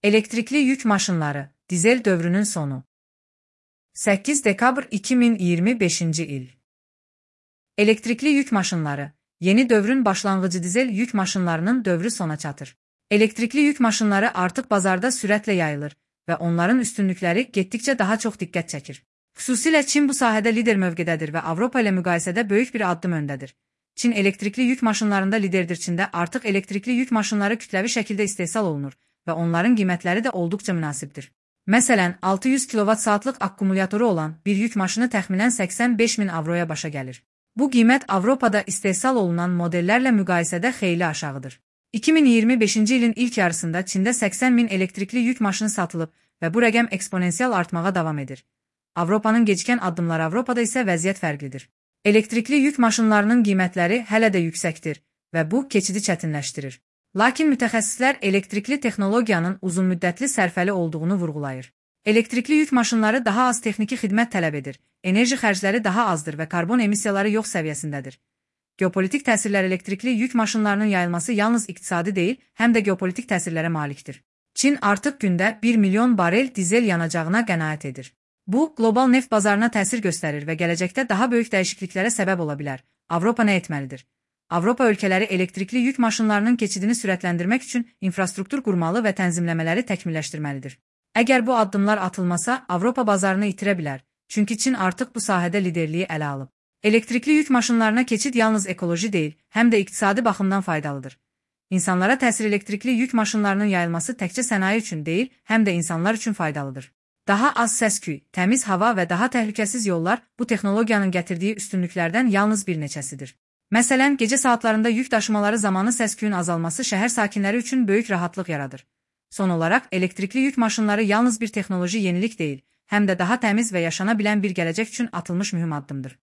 Elektrikli yük maşınları, dizel dövrünün sonu. 8 dekabr 2025 il. Elektrikli yük maşınları, yeni dövrün başlanğıcı dizel yük maşınlarının dövrü sona çatır. Elektrikli yük maşınları artıq bazarda sürətlə yayılır və onların üstünlükləri getdikcə daha çox diqqət çəkir. Xüsusilə Çin bu sahədə lider mövqedədir və Avropa ilə müqayisədə böyük bir addım öndədir. Çin elektrikli yük maşınlarında liderdir. Çində artıq elektrikli yük maşınları kütləvi şəkildə istehsal olunur və onların qiymətləri də olduqca münasibdir. Məsələn, 600 kWh akkumulatoru olan bir yük maşını təxminən 85.000 avroya başa gəlir. Bu qiymət Avropada istehsal olunan modellərlə müqayisədə xeyli aşağıdır. 2025 ilin ilk yarısında Çində 80.000 elektrikli yük maşını satılıb və bu rəqəm eksponensial artmağa davam edir. Avropanın gecikən addımları Avropada isə vəziyyət fərqlidir. Elektrikli yük maşınlarının qiymətləri hələ də yüksəkdir və bu keçidi çətinləşdirir. Lakin mütəxəssislər elektrikli texnologiyanın uzunmüddətli sərfəli olduğunu vurğulayır. Elektrikli yük maşınları daha az texniki xidmət tələb edir, enerji xərcləri daha azdır və karbon emissiyaları yox səviyyəsindədir. Geopolitik təsirlər elektrikli yük maşınlarının yayılması yalnız iqtisadi deyil, həm də geopolitik təsirlərə malikdir. Çin artıq gündə 1 milyon barel dizel yanacağına qənaət edir. Bu, qlobal neft bazarına təsir göstərir və gələcəkdə daha böyük dəyişikliklərə səbəb ola bilər. Avropa nə etməlidir? Avropa ölkələri elektrikli yük maşınlarının keçidini sürətləndirmək üçün infrastruktur qurmalı və tənzimləmələri təkmilləşdirməlidir. Əgər bu addımlar atılmasa, Avropa bazarını itirə bilər, çünki Çin artıq bu sahədə liderliyi ələ alıb. Elektrikli yük maşınlarına keçid yalnız ekoloji deyil, həm də iqtisadi baxımdan faydalıdır. İnsanlara təsir elektrikli yük maşınlarının yayılması təkcə sənaye üçün deyil, həm də insanlar üçün faydalıdır. Daha az səs-küy, təmiz hava və daha təhlükəsiz yollar bu texnologiyanın gətirdiyi üstünlüklərdən yalnız bir neçəsidir. Məsələn, gecə saatlarında yük daşımaları zamanı səs-küyün azalması şəhər sakinləri üçün böyük rahatlıq yaradır. Son olaraq, elektrikli yük maşınları yalnız bir texnoloji yenilik deyil, həm də daha təmiz və yaşana bilən bir gələcək üçün atılmış mühüm addımdır.